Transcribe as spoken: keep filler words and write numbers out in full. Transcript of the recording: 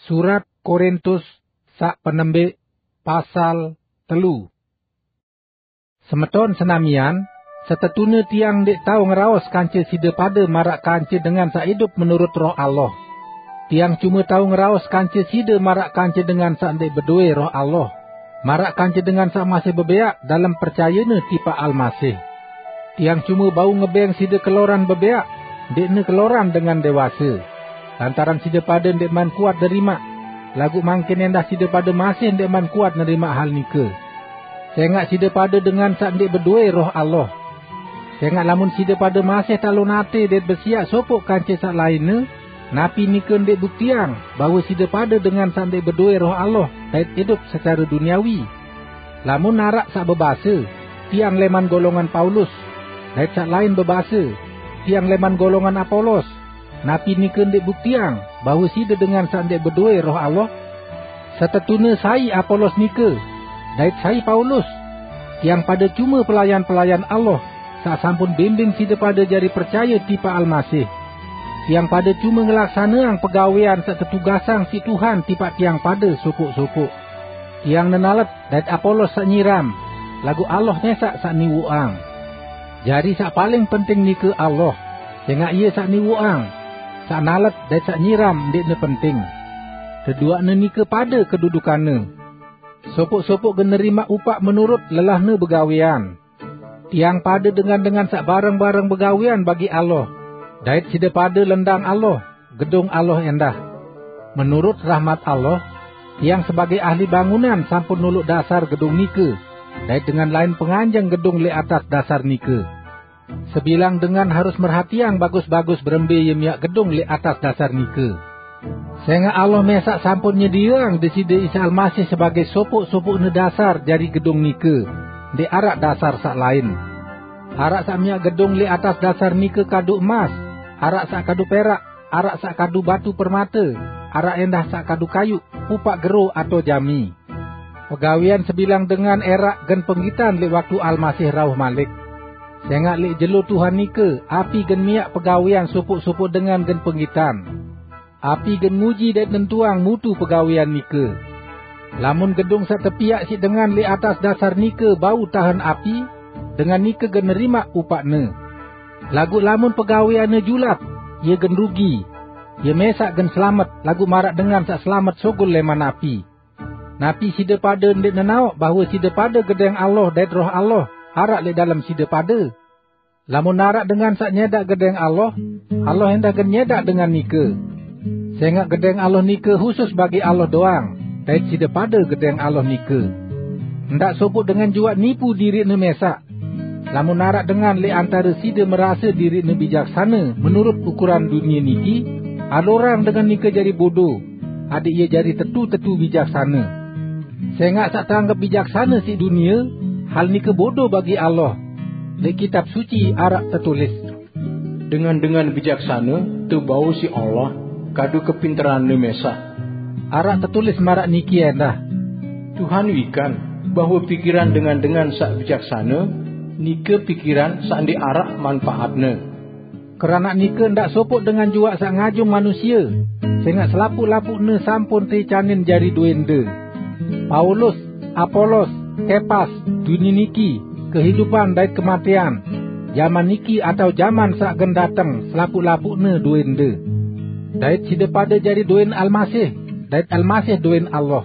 Surat Korintus saq penembeq, pasal telu. Semeton senamian, setetune tiang ndeq tao ngeraos kance side pade maraq kance dengan saq idup menurut Roh Allah. Tiang cume tao ngeraos kance side maraq kance dengan saq ndeq bedowe Roh Allah, maraq kance dengan saq masih bebeaq dalem percayene tipaq Almasih. Tiang cume bau ngebeng side keloran bebeaq, ndeqne keloran dengan dewase, lantaran side pade ndeqman kuat nerimaq, laguq mangkin endah side pade masih ndeqman kuat nerimaq hal nike. Sengaq side pade dengan saq ndeq bedowe Roh Allah. Sengaq lamun side pade masih talon ate dait besiaq sopoq kance saq lainne, napi nike ndeq buktiang bahwe side pade dengan saq ndeq bedowe Roh Allah dait idup secare duniawi? Lamun araq saq bebase, "Tiang leman golongan Paulus," dait saq lain bebase, "Tiang leman golongan Apolos," napi nike ndeq buktiang bahwe side dengan saq ndeq bedowe Roh Allah? Setetune sai Apolos nike, dait sai Paulus? Tiang pade cume pelayan-pelayan Allah, saq sampun bimbing side pade jari percaye tipaq Almasih. Tiang pade cume ngelaksaneang pegawean saq tetugasang siq Tuhan tipaq tiang pade sopoq-sopoq. Tiang nenalet dait Apolos saq nyiram, laguq Allah mesaq saq niwoqang. Jari saq paling penting nike Allah, sengaq Ie saq niwoqang. Saq nalet dait saq nyiram ndeqne penting. Deduaqne nike pade kedudukanne. Sopoq-sopoq gen nerimaq upaq menurut lelahne begawean. Tiang pade dengan-dengan saq bareng-bareng begawean bagi Allah, dait side pade lendang Allah, gedung Allah endah. Menurut rahmat Allah, tiang sebagei ahli bangunan sampun noloq dasar gedung nike, dait dengan lain penganjeng gedung leq atas dasar nike. Sebilang dengan harus merhatiang bagus-bagus berembe ie miaq gedung leq atas dasar nike. Sengaq Allah mesaq sampun nyedieang Deside Isa Almasih sebagei sopoq-sopoqne dasar jari gedung nike, ndeq araq dasar saq lain. Araq saq miaq gedung leq atas dasar nike kadu emas, araq saq kadu perak, araq saq kadu batu permate, araq endah saq kadu kayuq, upaq gero atao jami. Pegawean sebilang dengan eraq gen penggitan leq waktu Almasih rauh malik. Sengaq leq jelo Tuhan nike, api gen miaq pegawean sopoq-sopoq dengan gen penggitan. Api gen nguji dait nentuang mutu pegawean nike. Lamun gedung saq tepiaq siq dengan leq atas dasar nike bau tahen api, dengan nike gen nerimaq upaqne. Laguq lamun pegaweanne julap, ie gen rugi. Ie mesaq gen selamet, laguq maraq dengan saq selamet sugul leman api. Napi side pade ndeq nenaoq bahwe side pade gedeng Allah dait Roh Allah araq leq dalem side pade? Lamun araq dengan saq nyedaq gedeng Allah, Allah endah gen nyedaq dengan nike. Sengaq gedeng Allah nike husus bagi Allah doang, dait side pade gedeng Allah nike. Ndaq sopoq dengan juaq nipu diriqne mesaq. Lamun araq dengan leq antare side merase diriqne bijaksane menurut ukuran dunie niki, alurang dengan nike jari bodo, adaq ie jari tetu-tetu bijaksane. Sengaq saq teanggep bijaksane siq dunie, hal nike bodo bagi Allah. Leq Kitab Suci araq tetulis, "Dengan-dengan bijaksane tebau siq Allah kadu kepinteranne mesaq." Araq tetulis maraq niki endah, "Tuhan wikan bahwe pikiran dengan-dengan saq bijaksane nike pikiran saq ndeq araq manpaatne." Keranaq nike ndaq sopoq dengan juaq saq ngajung manusie, sengaq selapuq-lapuqne sampun teicanin jari dowende. Paulus, Apolos, Kepas, dunie niki, kehidupan dait kematean, jaman niki atao jaman saq gen dateng, selapuq-lapuqne dowende. Dait side pade jari dowen Almasih, dait Almasih dowen Allah.